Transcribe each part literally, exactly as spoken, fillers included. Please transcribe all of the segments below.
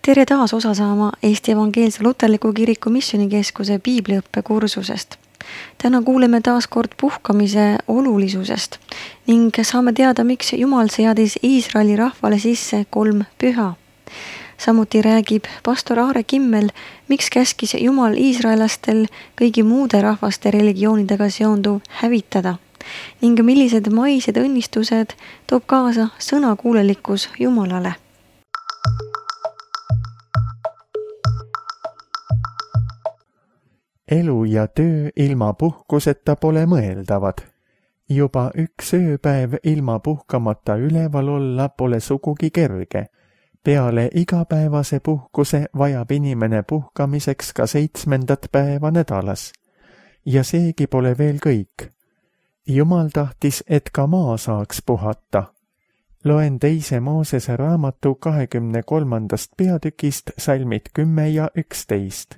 Tere taas osa saama Eesti Evangeelse Luterliku Kiriku Missioonikeskuse piibliõppe kursusest. Täna kuuleme taas kord puhkamise olulisusest ning saame teada, miks Jumal seadis Iisraeli rahvale sisse kolm püha. Samuti räägib pastor Aare Kimmel, miks käskis Jumal iisraelastel kõigi muude rahvaste religioonidega seonduv hävitada ning millised maised õnnistused toob kaasa sõnakuulelikkus Jumalale. Elu ja töö ilma puhkuseta pole mõeldavad. Juba üks ööpäev ilma puhkamata üleval olla pole sugugi kerge. Peale igapäevase puhkuse vajab inimene puhkamiseks ka seitsmendat päeva nädalas. Ja seegi pole veel kõik. Jumal tahtis, et ka maa saaks puhata. Loen teise Moosese raamatu kahekümne kolmandast peatükist salmid kümme ja üksteist.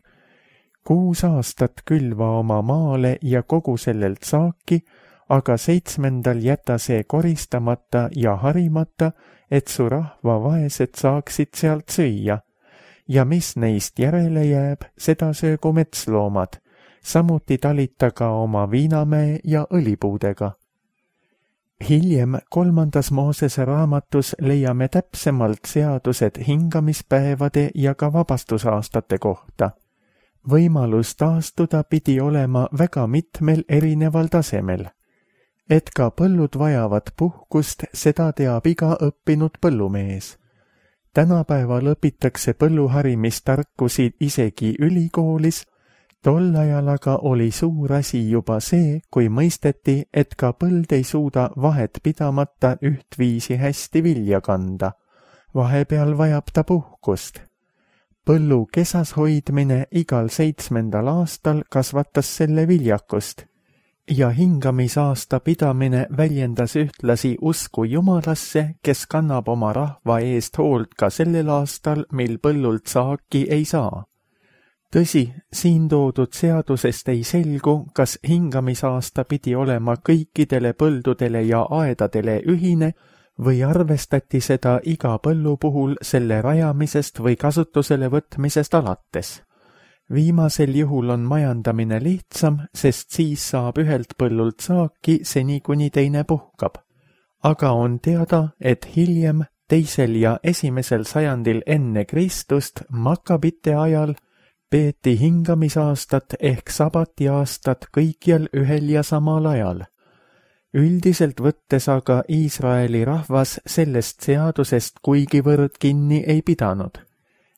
Kuus aastat külva oma maale ja kogu sellelt saaki, aga seitsmendal jäta see koristamata ja harimata, et su rahva vaesed saaksid sealt süüa. Ja mis neist järele jääb, seda söögu metsloomad, samuti talita ka oma viinamäe ja õlipuudega. Hiljem kolmandas Moosese raamatus leiame täpsemalt seadused hingamispäevade ja ka vabastusaastate kohta. Võimalus taastuda pidi olema väga mitmel erineval tasemel. Et ka põllud vajavad puhkust, seda teab iga õppinud põllumees. Tänapäeval õpitakse põlluharimistarkusi isegi ülikoolis, tol ajal aga oli suur asi juba see, kui mõisteti, et ka põld ei suuda vahet pidamata ühtviisi hästi vilja kanda. Vahepeal vajab ta puhkust. Põllu kesas hoidmine igal seitsmendal aastal kasvatas selle viljakust ja hingamisaasta pidamine väljendas ühtlasi usku Jumalasse, kes kannab oma rahva eest hoolt ka sellel aastal, mil põllult saaki ei saa. Tõsi, siin toodud seadusest ei selgu, kas hingamisaasta pidi olema kõikidele põldudele ja aedadele ühine, või arvestati seda iga põllu puhul selle rajamisest või kasutusele võtmisest alates. Viimasel juhul on majandamine lihtsam, sest siis saab ühelt põllult saaki seni kuni teine puhkab. Aga on teada, et hiljem, teisel ja esimesel sajandil enne Kristust Makabite ajal peeti hingamisaastat ehk sabatiaastat kõikjal ühel ja samal ajal. Üldiselt võttes aga Iisraeli rahvas sellest seadusest kuigivõrd kinni ei pidanud.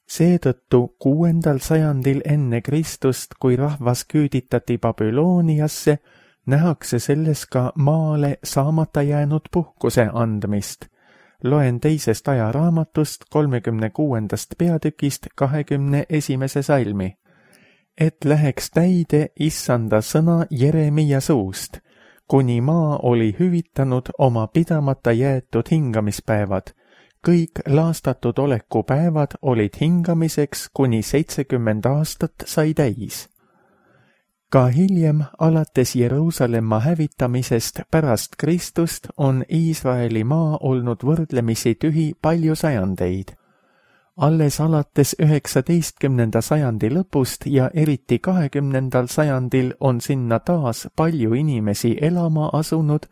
Seetõttu kuuendal sajandil enne Kristust, kui rahvas küüditati Babyloniasse, nähakse selles ka maale saamata jäänud puhkuse andmist. Loen teisest ajaraamatust kolmekümne kuuendast peatükist kahekümne esimese salmi. Et läheks täide issanda sõna Jeremia suust, kuni maa oli hüvitanud oma pidamata jäetud hingamispäevad. Kõik laastatud olekupäevad olid hingamiseks, kuni seitsekümmend aastat sai täis. Ka hiljem, alates Jeruusalemma hävitamisest pärast Kristust, on Iisraeli maa olnud võrdlemisi tühi palju sajandeid. Alles alates üheksateistkümnenda sajandi lõpust ja eriti kahekümnendal sajandil on sinna taas palju inimesi elama asunud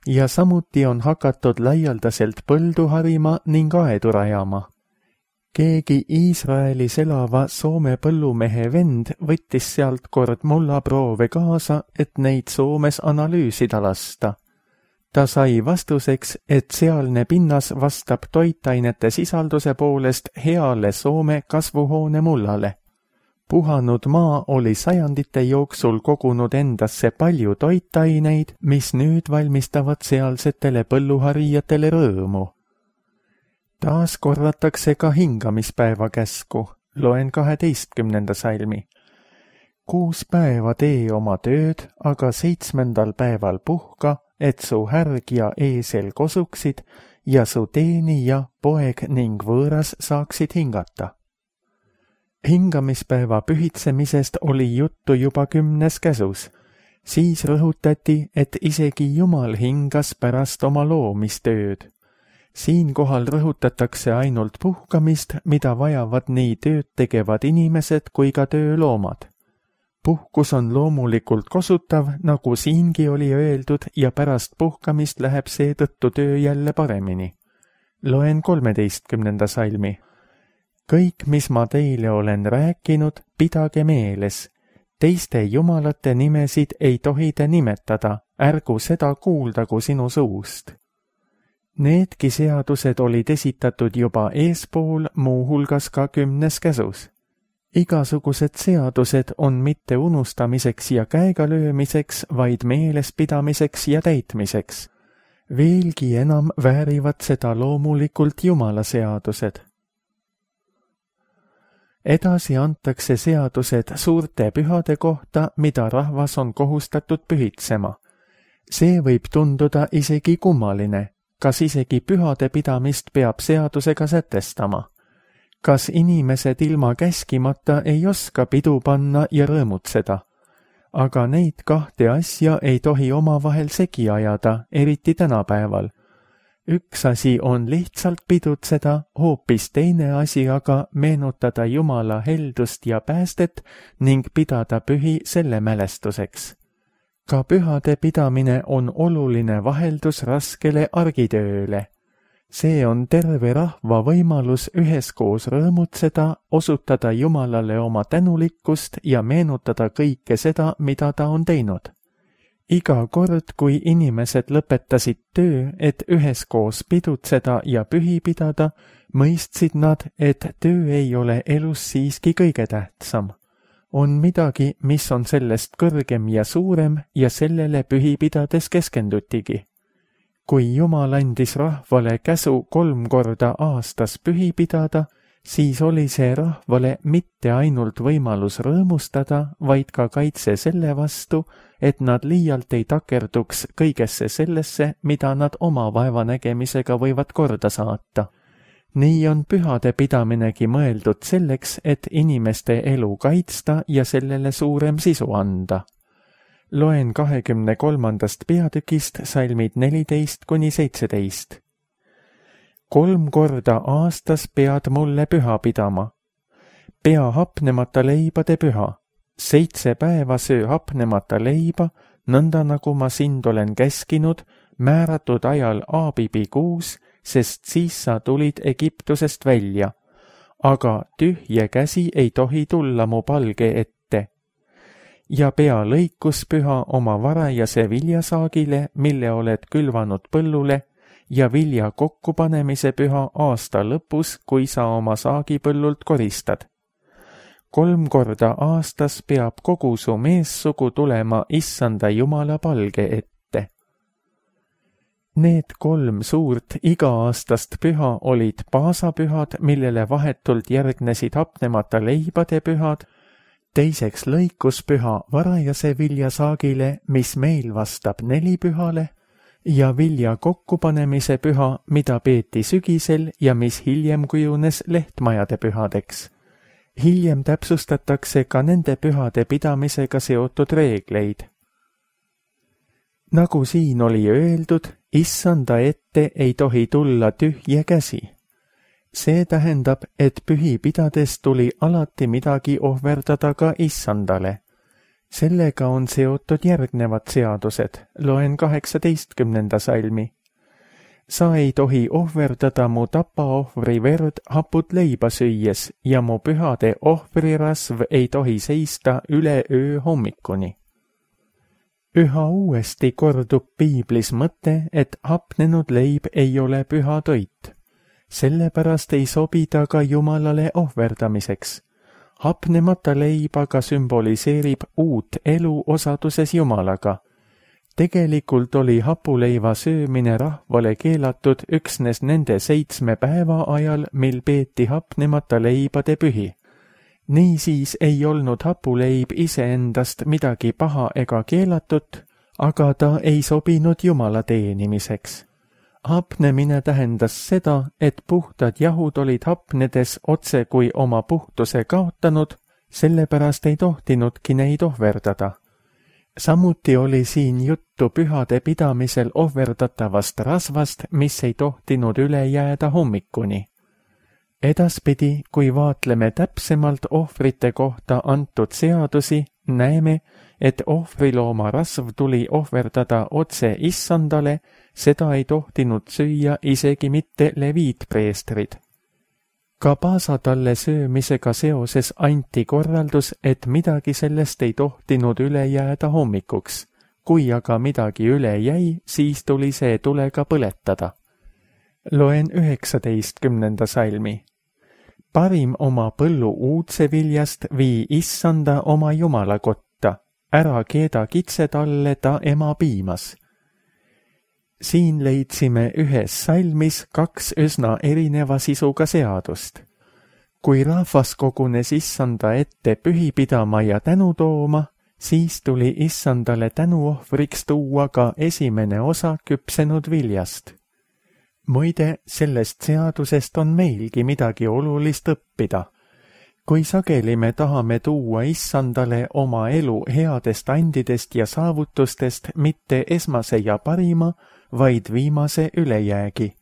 ja samuti on hakatud laialdaselt põldu harima ning aedu rajama. Keegi Iisraelis elava Soome põllumehe vend võttis sealt kord mullaproove kaasa, et neid Soomes analüüsida lasta. Ta sai vastuseks, et sealne pinnas vastab toitainete sisalduse poolest heale Soome kasvuhoone mullale. Puhanud maa oli sajandite jooksul kogunud endasse palju toitaineid, mis nüüd valmistavad sealsetele põlluharijatele rõõmu. Taas korratakse ka hingamispäeva käsku. Loen kaheteistkümnenda salmi. Kuus päeva tee oma tööd, aga seitsmendal päeval puhka, et su härg ja eesel kosuksid ja su teenija, poeg ning võõras saaksid hingata. Hingamispäeva pühitsemisest oli juttu juba kümnes käsus. Siis rõhutati, et isegi Jumal hingas pärast oma loomistööd. Siinkohal rõhutatakse ainult puhkamist, mida vajavad nii tööd tegevad inimesed kui ka tööloomad. Puhkus on loomulikult kosutav, nagu siingi oli öeldud, ja pärast puhkamist läheb seetõttu töö jälle paremini. Loen kolmeteistkümnenda salmi. Kõik, mis ma teile olen rääkinud, pidage meeles. Teiste jumalate nimesid ei tohi te nimetada, ärgu seda kuuldagu sinu suust. Needki seadused olid esitatud juba eespool, muuhulgas ka kümnes käsus. Igasugused seadused on mitte unustamiseks ja käega löömiseks, vaid meelespidamiseks ja täitmiseks. Veelgi enam väärivad seda loomulikult Jumala seadused. Edasi antakse seadused suurte pühade kohta, mida rahvas on kohustatud pühitsema. See võib tunduda isegi kummaline, kas isegi pühade pidamist peab seadusega sätestama. Kas inimesed ilma käskimata ei oska pidu panna ja rõõmutseda? Aga neid kahte asja ei tohi omavahel segi ajada, eriti tänapäeval. Üks asi on lihtsalt pidutseda, hoopis teine asi aga meenutada Jumala heldust ja päästet ning pidada pühi selle mälestuseks. Ka pühade pidamine on oluline vaheldus raskele argitööle. See on terve rahva võimalus üheskoos rõõmutseda, osutada Jumalale oma tänulikkust ja meenutada kõike seda, mida ta on teinud. Iga kord, kui inimesed lõpetasid töö, et üheskoos pidutseda ja pühi pidada, mõistsid nad, et töö ei ole elus siiski kõige tähtsam. On midagi, mis on sellest kõrgem ja suurem ja sellele pühi pidades keskendutigi. Kui Jumal andis rahvale käsu kolm korda aastas pühi pidada, siis oli see rahvale mitte ainult võimalus rõõmustada, vaid ka kaitse selle vastu, et nad liialt ei takerduks kõigesse sellesse, mida nad oma vaevanägemisega võivad korda saata. Nii on pühade pidaminegi mõeldud selleks, et inimeste elu kaitsta ja sellele suurem sisu anda. Loen kahekümne kolmandast peatükist salmid neliteist kuni seitseteist. Kolm korda aastas pead mulle püha pidama. Pea hapnemata leibade püha. Seitse päeva söö hapnemata leiba, nõnda nagu ma sind olen käskinud, määratud ajal Aabibi kuus, sest siis sa tulid Egiptusest välja. Aga tühje käsi ei tohi tulla mu palge ette. Ja pea lõikuspüha oma varajase viljasaagile, mille oled külvanud põllule, ja vilja kokkupanemise püha aasta lõpus, kui sa oma saagipõllult koristad. Kolm korda aastas peab kogu su meessugu tulema Issanda Jumala palge ette. Need kolm suurt iga-aastast püha olid paasapühad, millele vahetult järgnesid hapnemata leibade pühad, teiseks lõikuspüha varajase viljasaagile, mis meil vastab nelipühale, ja vilja kokkupanemise püha, mida peeti sügisel ja mis hiljem kujunes lehtmajade pühadeks. Hiljem täpsustatakse ka nende pühade pidamisega seotud reegleid. Nagu siin oli öeldud, Issanda ette ei tohi tulla tühje käsi. See tähendab, et pühi pidades tuli alati midagi ohverdada ka Issandale. Sellega on seotud järgnevad seadused, loen kaheksateistkümnenda salmi. Sa ei tohi ohverdada mu tapaohvri verd haput leiba süües ja mu pühade ohvrirasv ei tohi seista üle öö hommikuni. Üha uuesti kordub piiblis mõte, et hapnenud leib ei ole püha toit. Sellepärast ei sobi ta ka Jumalale ohverdamiseks. Hapnemata leib aga sümboliseerib uut elu osaduses Jumalaga. Tegelikult oli hapuleiva söömine rahvale keelatud üksnes nende seitsme päeva ajal, mil peeti hapnemata leibade pühi. Niisiis ei olnud hapuleib iseendast midagi paha ega keelatut, aga ta ei sobinud Jumala teenimiseks. Hapnemine tähendas seda, et puhtad jahud olid hapnedes otse kui oma puhtuse kaotanud, sellepärast ei tohtinudki neid ohverdada. samuti oli siin juttu pühade pidamisel ohverdatavast rasvast, mis ei tohtinud üle jääda hommikuni. Edaspidi, kui vaatleme täpsemalt ohvrite kohta antud seadusi, näeme, et ohvrilooma rasv tuli ohverdada otse issandale, seda ei tohtinud süüa isegi mitte leviitpreestrid. Ka paasatalle söömisega seoses anti korraldus, et midagi sellest ei tohtinud üle jääda hommikuks. Kui aga midagi üle jäi, siis tuli see tulega põletada. Loen üheksateistkümnenda salmi. Parim oma põllu uudseviljast vii issanda oma jumala kotta, ära keeda kitsetalle ta ema piimas. Siin leidsime ühes salmis kaks üsna erineva sisuga seadust. Kui rahvas kogunes issanda ette pühi pidama ja tänu tooma, siis tuli issandale tänuohvriks tuua ka esimene osa küpsenud viljast. Muide, sellest seadusest on meilgi midagi olulist õppida. Kui sageli me tahame tuua issandale oma elu headest andidest ja saavutustest mitte esmase ja parima, vaid viimase ülejäägi.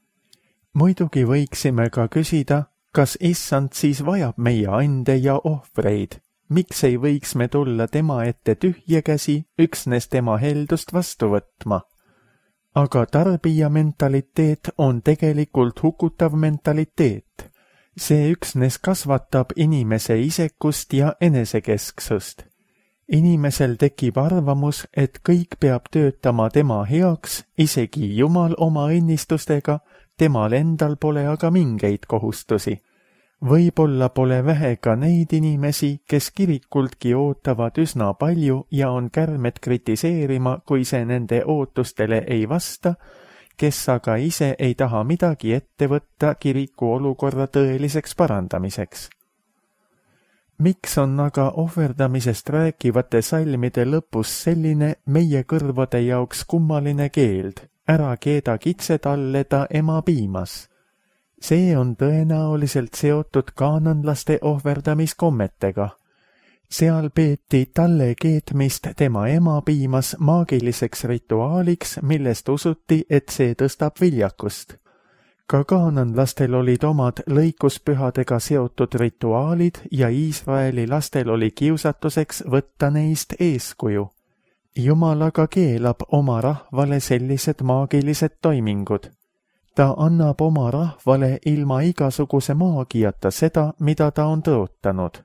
Muidugi võiksime ka küsida, kas issand siis vajab meie ande ja ohvreid. Miks ei võiks me tulla tema ette tühje käsi, üksnes tema heldust vastu võtma? Aga tarbija mentaliteet on tegelikult hukutav mentaliteet. See üksnes kasvatab inimese isekust ja enesekesksust. Inimesel tekib arvamus, et kõik peab töötama tema heaks, isegi Jumal oma õnnistustega, temal endal pole aga mingeid kohustusi. Võib-olla pole vähe ka neid inimesi, kes kirikultki ootavad üsna palju ja on kärmed kritiseerima, kui see nende ootustele ei vasta, kes aga ise ei taha midagi ette võtta kiriku olukorra tõeliseks parandamiseks. Miks on aga ohverdamisest rääkivate salmide lõpus selline meie kõrvade jaoks kummaline keeld, ära keeda kitsetalle ta ema piimas? See on tõenäoliselt seotud kaananlaste ohverdamiskommetega. Seal peeti talle keetmist tema ema piimas maagiliseks rituaaliks, millest usuti, et see tõstab viljakust. Ka kaananlastel olid omad lõikuspühadega seotud rituaalid ja Iisraeli lastel oli kiusatuseks võtta neist eeskuju. Jumal aga keelab oma rahvale sellised maagilised toimingud. Ta annab oma rahvale ilma igasuguse maagiata seda, mida ta on tõotanud.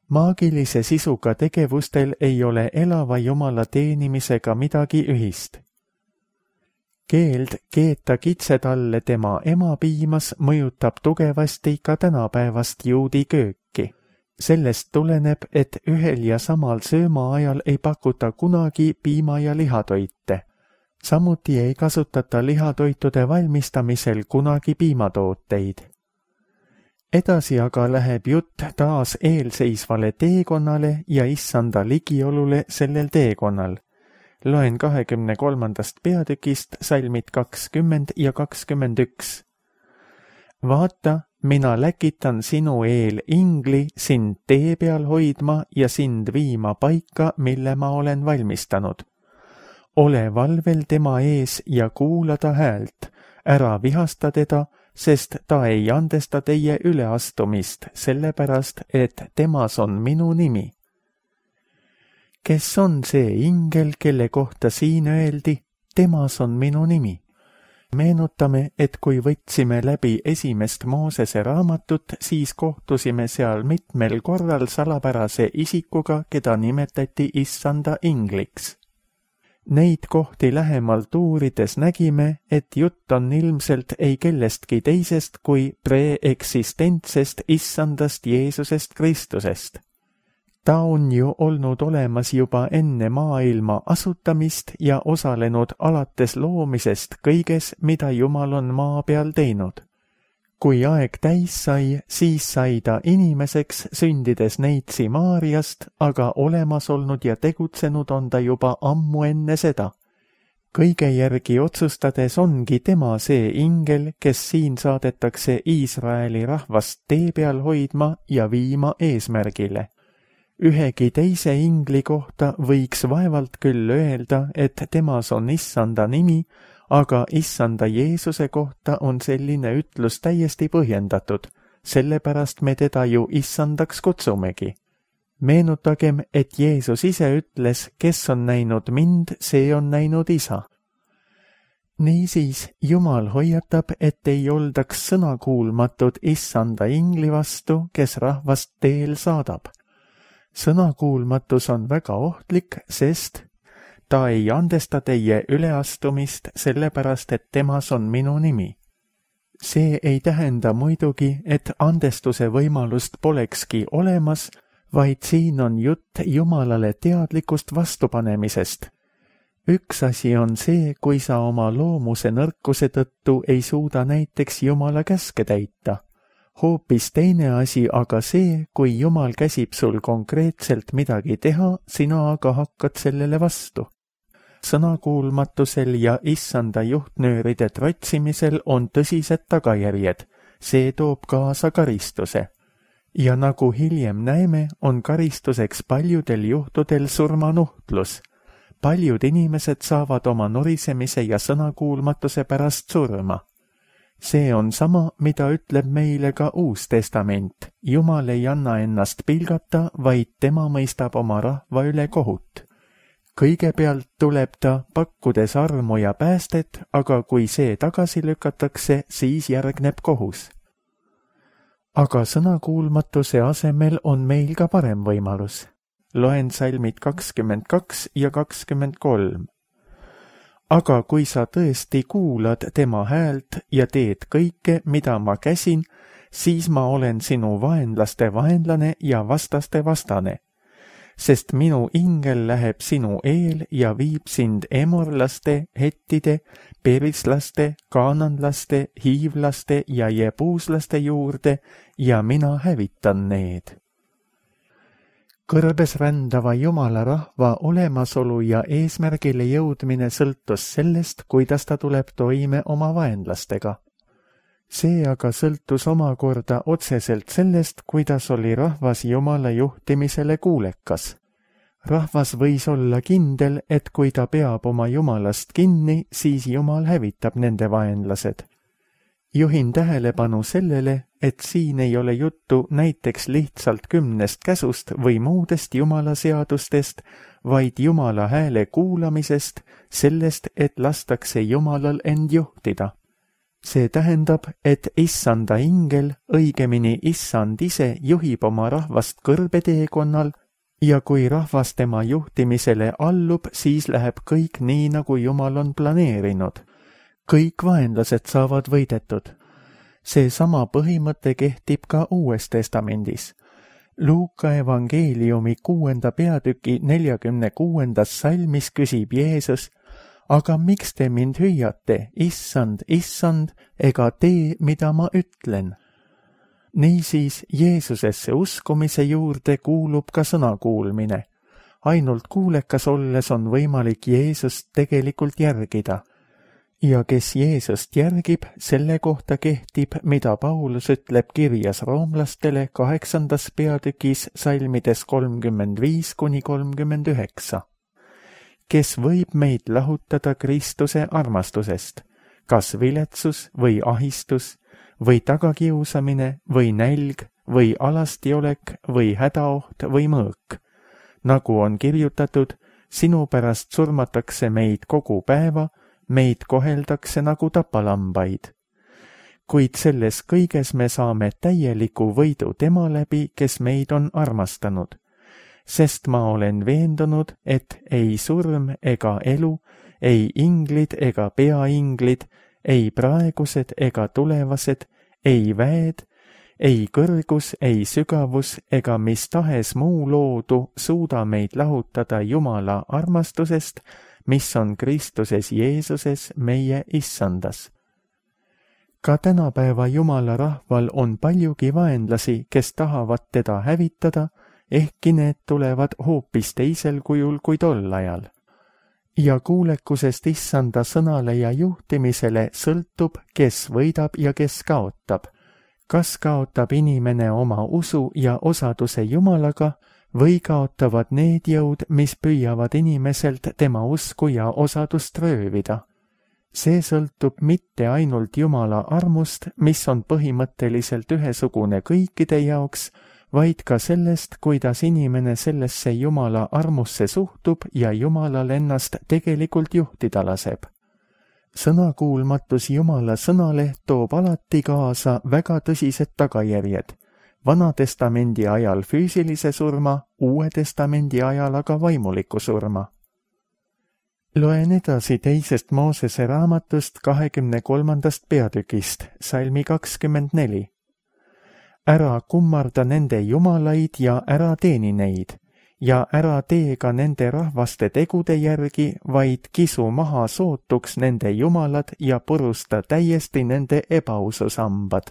Maagilise sisuga tegevustel ei ole elava Jumala teenimisega midagi ühist. Keeld keeta kitsetalle tema ema piimas mõjutab tugevasti ka tänapäevast juudi kööki. Sellest tuleneb, et ühel ja samal söömaajal ei pakuta kunagi piima- ja lihatoite. Samuti ei kasutata lihatoitude valmistamisel kunagi piimatooteid. Edasi aga läheb jutt taas eelseisvale teekonnale ja issanda ligiolule sellel teekonnal. Loen kahekümne kolmandast peatükist salmid kakskümmend ja kakskümmend üks. Vaata, mina läkitan sinu eel ingli sind tee peal hoidma ja sind viima paika, mille ma olen valmistanud. Ole valvel tema ees ja kuula ta häält, ära vihasta teda, sest ta ei andesta teie üleastumist, sellepärast, et temas on minu nimi. Kes on see ingel, kelle kohta siin öeldi, temas on minu nimi? Meenutame, et kui võtsime läbi esimest Moosese raamatut, siis kohtusime seal mitmel korral salapärase isikuga, keda nimetati issanda ingliks. Neid kohti lähemalt uurides nägime, et jutt on ilmselt ei kellestki teisest kui preeksistentsest issandast Jeesusest Kristusest. Ta on ju olnud olemas juba enne maailma asutamist ja osalenud alates loomisest kõiges, mida Jumal on maa peal teinud. Kui aeg täis sai, siis sai ta inimeseks, sündides neitsi Maariast, aga olemas olnud ja tegutsenud on ta juba ammu enne seda. Kõige järgi otsustades ongi tema see ingel, kes siin saadetakse Iisraeli rahvast tee peal hoidma ja viima eesmärgile. ühegi teise ingli kohta võiks vaevalt küll öelda, et temas on issanda nimi, aga issanda Jeesuse kohta on selline ütlus täiesti põhjendatud, sellepärast me teda ju issandaks kutsumegi. Meenutagem, et Jeesus ise ütles, kes on näinud mind, see on näinud isa. Niisiis, Jumal hoiatab, et ei oldaks sõnakuulmatud issanda ingli vastu, kes rahvast teel saadab. Sõnakuulmatus on väga ohtlik, sest ta ei andesta teie üleastumist sellepärast, et temas on minu nimi. See ei tähenda muidugi, et andestuse võimalust polekski olemas, vaid siin on jutt Jumalale teadlikust vastupanemisest. Üks asi on see, kui sa oma loomuse nõrkuse tõttu ei suuda näiteks Jumala käske täita. Hoopis teine asi aga see, kui Jumal käsib sul konkreetselt midagi teha, sina aga hakkad sellele vastu. Sõnakuulmatusel ja issanda juhtnööride trotsimisel on tõsised tagajärjed. See toob kaasa karistuse. Ja nagu hiljem näeme, on karistuseks paljudel juhtudel surmanuhtlus. Paljud inimesed saavad oma norisemise ja sõnakuulmatuse pärast surma. See on sama, mida ütleb meile ka Uus Testament. Jumal ei anna ennast pilgata, vaid tema mõistab oma rahva üle kohut. Kõigepealt tuleb ta, pakkudes armu ja päästet, aga kui see tagasi lükatakse, siis järgneb kohus. Aga sõnakuulmatuse asemel on meil ka parem võimalus. Loen salmid kakskümmend kaks ja kakskümmend kolm. Aga kui sa tõesti kuulad tema häält ja teed kõike, mida ma käsin, siis ma olen sinu vaenlaste vaenlane ja vastaste vastane. Sest minu ingel läheb sinu eel ja viib sind emorlaste, hettide, perislaste, kaananlaste, hiivlaste ja jebuuslaste juurde ja mina hävitan need. Kõrbes rändava Jumala rahva olemasolu ja eesmärgile jõudmine sõltus sellest, kuidas ta tuleb toime oma vaenlastega. See aga sõltus omakorda otseselt sellest, kuidas oli rahvas Jumala juhtimisele kuulekas. Rahvas võis olla kindel, et kui ta peab oma Jumalast kinni, siis Jumal hävitab nende vaenlased. Juhin tähelepanu sellele, et siin ei ole juttu näiteks lihtsalt kümnest käsust või muudest Jumala seadustest, vaid Jumala hääle kuulamisest, sellest, et lastakse Jumalal end juhtida. See tähendab, et issanda ingel, õigemini issand ise juhib oma rahvast kõrbeteekonnal ja kui rahvas tema juhtimisele allub, siis läheb kõik nii, nagu Jumal on planeerinud. Kõik vaenlased saavad võidetud. See sama põhimõte kehtib ka Uues Testamendis. Luuka evangeeliumi kuuenda peatüki neljakümne kuuendas salmis küsib Jeesus, aga miks te mind hüüate, issand, issand, ega tee, mida ma ütlen? Niisiis Jeesusesse uskumise juurde kuulub ka sõnakuulmine. Ainult kuulekas olles on võimalik Jeesust tegelikult järgida. Ja kes Jeesust järgib, selle kohta kehtib, mida Paulus ütleb kirjas roomlastele kaheksandas peatükis salmides kolmkümmend viis kuni kolmkümmend üheksa. Kes võib meid lahutada Kristuse armastusest, kas viletsus või ahistus, või tagakiusamine, või nälg, või alastiolek, või hädaoht, või mõõk. Nagu on kirjutatud, sinu pärast surmatakse meid kogu päeva, meid koheldakse nagu tapalambaid. Kuid selles kõiges me saame täieliku võidu tema läbi, kes meid on armastanud. Sest ma olen veendunud, et ei surm ega elu, ei inglid ega peainglid, ei praegused ega tulevased, ei väed, ei kõrgus, ei sügavus ega mis tahes muu loodu suuda meid lahutada Jumala armastusest, mis on Kristuses Jeesuses meie issandas. Ka tänapäeva Jumala rahval on paljugi vaenlasi, kes tahavad teda hävitada, ehkki need tulevad hoopis teisel kujul kui tol ajal. Ja kuulekusest issanda sõnale ja juhtimisele sõltub, kes võidab ja kes kaotab. Kas kaotab inimene oma usu ja osaduse Jumalaga või kaotavad need jõud, mis püüavad inimeselt tema usku ja osadust röövida. See sõltub mitte ainult Jumala armust, mis on põhimõtteliselt ühesugune kõikide jaoks, vaid ka sellest, kuidas inimene sellesse Jumala armusse suhtub ja Jumalal ennast tegelikult juhtida laseb. Sõnakuulmatus Jumala sõnale toob alati kaasa väga tõsised tagajärjed. Vana testamendi ajal füüsilise surma, Uue testamendi ajal aga vaimuliku surma. Loen edasi teisest Moosese raamatust kahekümne kolmandast peatükist, salmi kakskümmend neli. Ära kummarda nende jumalaid ja ära teeni neid, ja ära tee ka nende rahvaste tegude järgi, vaid kisu maha sootuks nende jumalad ja purusta täiesti nende ebaususambad.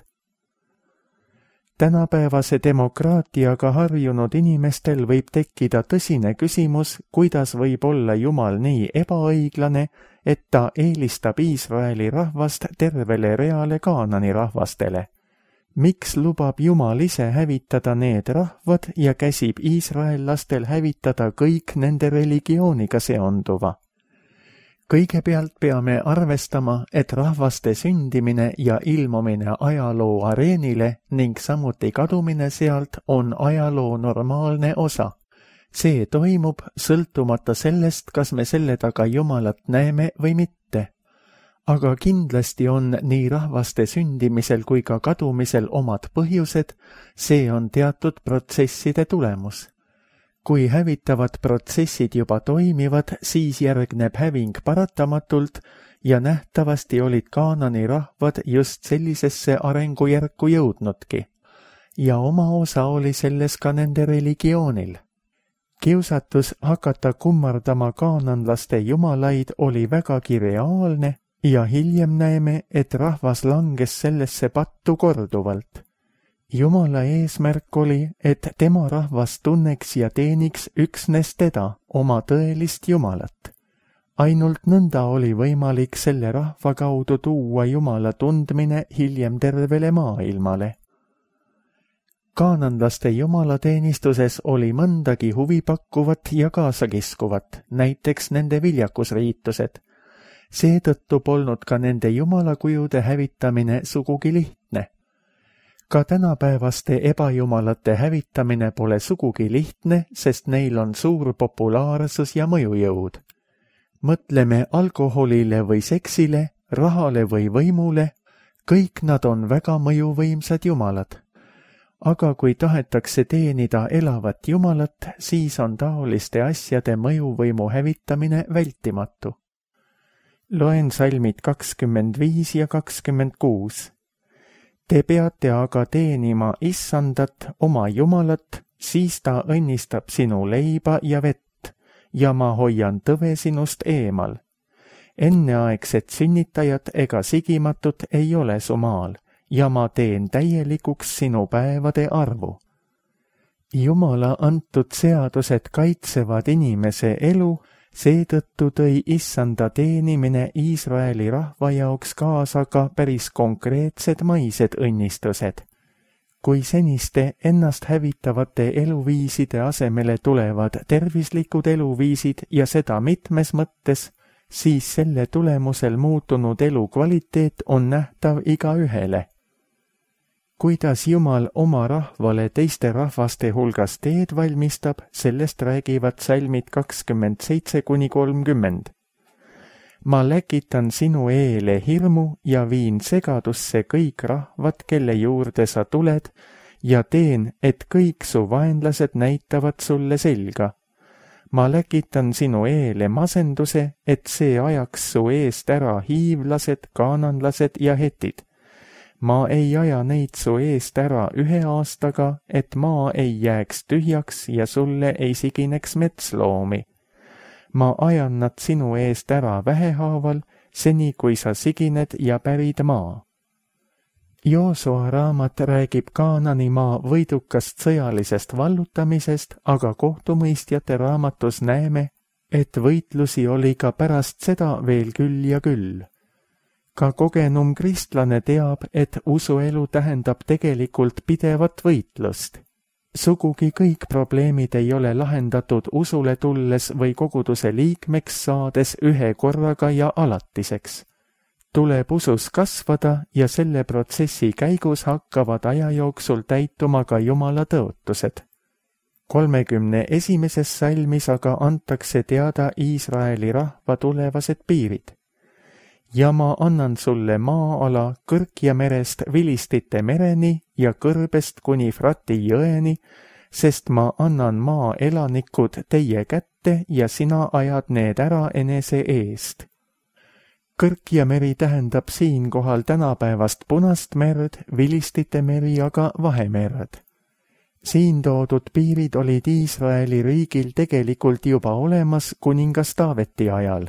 Tänapäevase demokraatiaga harjunud inimestel võib tekkida tõsine küsimus, kuidas võib olla Jumal nii ebaõiglane, et ta eelistab Iisraeli rahvast tervele reale Kaanani rahvastele. Miks lubab Jumal ise hävitada need rahvad ja käsib iisraellastel hävitada kõik nende religiooniga seonduva? Kõigepealt peame arvestama, et rahvaste sündimine ja ilmumine ajaloo areenile ning samuti kadumine sealt on ajaloo normaalne osa. See toimub sõltumata sellest, kas me selle taga Jumalat näeme või mitte. Aga kindlasti on nii rahvaste sündimisel kui ka kadumisel omad põhjused, see on teatud protsesside tulemus. Kui hävitavad protsessid juba toimivad, siis järgneb häving paratamatult ja nähtavasti olid Kaanani rahvad just sellisesse arengujärku jõudnudki. Ja oma osa oli selles ka nende religioonil. Kiusatus hakata kummardama kaananlaste jumalaid oli vägagi reaalne ja hiljem näeme, et rahvas langes sellesse pattu korduvalt. Jumala eesmärk oli, et tema rahvas tunneks ja teeniks üksnes teda, oma tõelist Jumalat. Ainult nõnda oli võimalik selle rahva kaudu tuua Jumala tundmine hiljem tervele maailmale. Kaananlaste jumalateenistuses oli mõndagi huvipakkuvat ja kaasakiskuvat, näiteks nende viljakusriitused. Seetõttu polnud ka nende jumalakujude hävitamine sugugi lihtne. Ka tänapäevaste ebajumalate hävitamine pole sugugi lihtne, sest neil on suur populaarsus ja mõjujõud. Mõtleme alkoholile või seksile, rahale või võimule, kõik nad on väga mõjuvõimsad jumalad. Aga kui tahetakse teenida elavat Jumalat, siis on taoliste asjade mõjuvõimu hävitamine vältimatu. Loen salmid kakskümmend viis ja kakskümmend kuus. Te peate aga teenima Issandat, oma Jumalat, siis ta õnnistab sinu leiba ja vett, ja ma hoian tõve sinust eemal. Enneaegset sünnitajat ega sigimatut ei ole su maal, ja ma teen täielikuks sinu päevade arvu. Jumala antud seadused kaitsevad inimese elu, seetõttu tõi Issanda teenimine Iisraeli rahva jaoks kaasa ka päris konkreetsed maised õnnistused. Kui seniste ennast hävitavate eluviiside asemele tulevad tervislikud eluviisid ja seda mitmes mõttes, siis selle tulemusel muutunud elu kvaliteet on nähtav igaühele. Kuidas Jumal oma rahvale teiste rahvaste hulgas teed valmistab, sellest räägivad salmid kakskümmend seitse kuni kolmkümmend. Ma läkitan sinu eele hirmu ja viin segadusse kõik rahvad, kelle juurde sa tuled, ja teen, et kõik su vaenlased näitavad sulle selga. Ma läkitan sinu eele masenduse, et see ajaks su eest ära hiivlased, kaananlased ja hetid. Ma ei aja neid su eest ära ühe aastaga, et maa ei jääks tühjaks ja sulle ei sigineks metsloomi. Ma ajan nad sinu eest ära vähehaaval, seni kui sa sigined ja pärid maa. Joosua raamat räägib Kaanani maa võidukast sõjalisest vallutamisest, aga kohtumõistjate raamatus näeme, et võitlusi oli ka pärast seda veel küll ja küll. Ka kogenum kristlane teab, et usuelu tähendab tegelikult pidevat võitlust. sugugi kõik probleemid ei ole lahendatud usule tulles või koguduse liikmeks saades ühe korraga ja alatiseks. Tuleb usus kasvada ja selle protsessi käigus hakkavad aja jooksul täituma ka Jumala tõotused. kolmekümne esimeses salmis aga antakse teada Iisraeli rahva tulevased piirid. Ja ma annan sulle maa-ala Kõrkja merest Vilistite mereni ja kõrbest kuni Frati jõeni, sest ma annan maa elanikud teie kätte ja sina ajad need ära enese eest. Kõrkja meri tähendab siinkohal tänapäevast Punast merd, Vilistite meri aga Vahemerd. Siin toodud piirid olid Iisraeli riigil tegelikult juba olemas kuningas Taaveti ajal.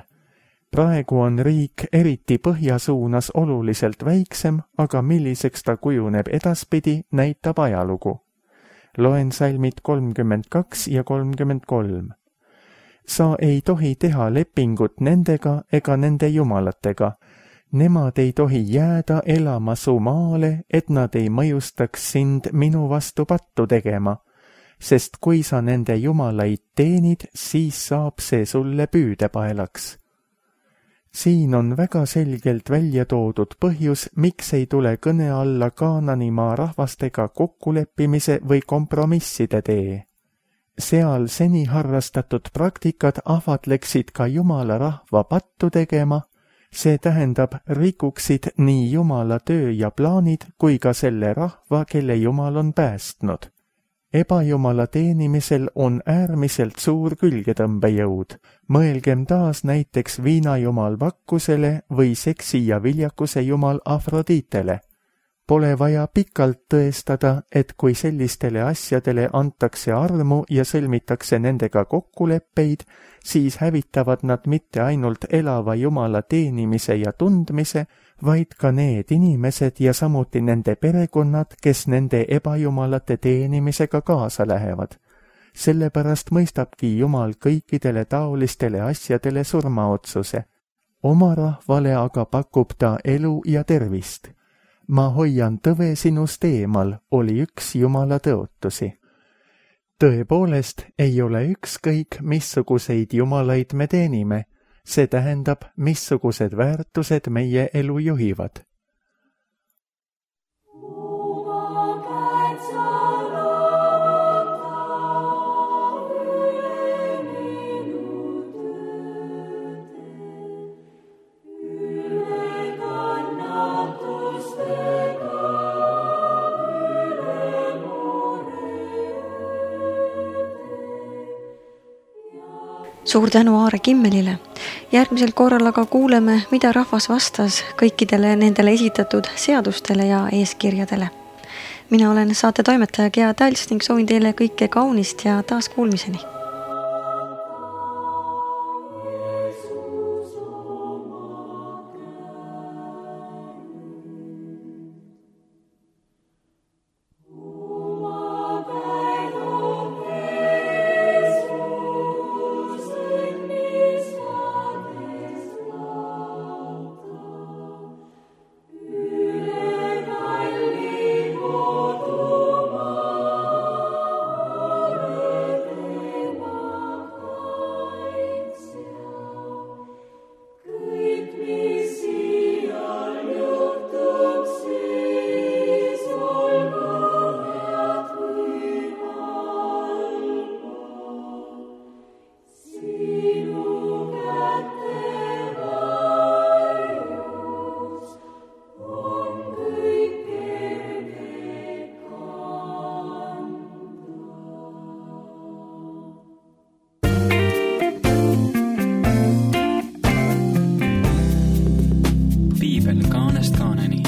Praegu on riik eriti põhja suunas oluliselt väiksem, aga milliseks ta kujuneb edaspidi, näitab ajalugu. Loen salmid kolmkümmend kaks ja kolmkümmend kolm. Sa ei tohi teha lepingut nendega ega nende jumalatega. Nemad ei tohi jääda elama su maale, et nad ei mõjustaks sind minu vastu pattu tegema, sest kui sa nende jumalaid teenid, siis saab see sulle püüdepaelaks. Siin on väga selgelt välja toodud põhjus, miks ei tule kõne alla Kaananimaa rahvastega kokkuleppimise või kompromisside tee. Seal seni harrastatud praktikad ahvatleksid ka Jumala rahva pattu tegema, see tähendab rikuksid nii Jumala töö ja plaanid kui ka selle rahva, kelle Jumal on päästnud. Ebajumala teenimisel on äärmiselt suur külgetõmbejõud. Mõelgem taas näiteks viinajumal Vakkusele või seksi ja viljakuse jumal Afroditele. Pole vaja pikalt tõestada, et kui sellistele asjadele antakse armu ja sõlmitakse nendega kokkuleppeid, siis hävitavad nad mitte ainult elava Jumala teenimise ja tundmise, vaid ka need inimesed ja samuti nende perekonnad, kes nende ebajumalate teenimisega kaasa lähevad. Sellepärast mõistabki Jumal kõikidele taolistele asjadele surmaotsuse. Oma rahvale aga pakub ta elu ja tervist. Ma hoian tõve sinust eemal, oli üks Jumala tõotusi. Tõepoolest ei ole ükskõik, missuguseid jumalaid me teenime, see tähendab, missugused väärtused meie elu juhivad. Suur tänu Aare Kimmelile. Järgmisel korral aga kuuleme, mida rahvas vastas kõikidele nendele esitatud seadustele ja eeskirjadele. Mina olen saate toimetaja Gea Tals ning soovin teile kõike kaunist ja taas kuulmiseni. Piibel kaanest kaaneni.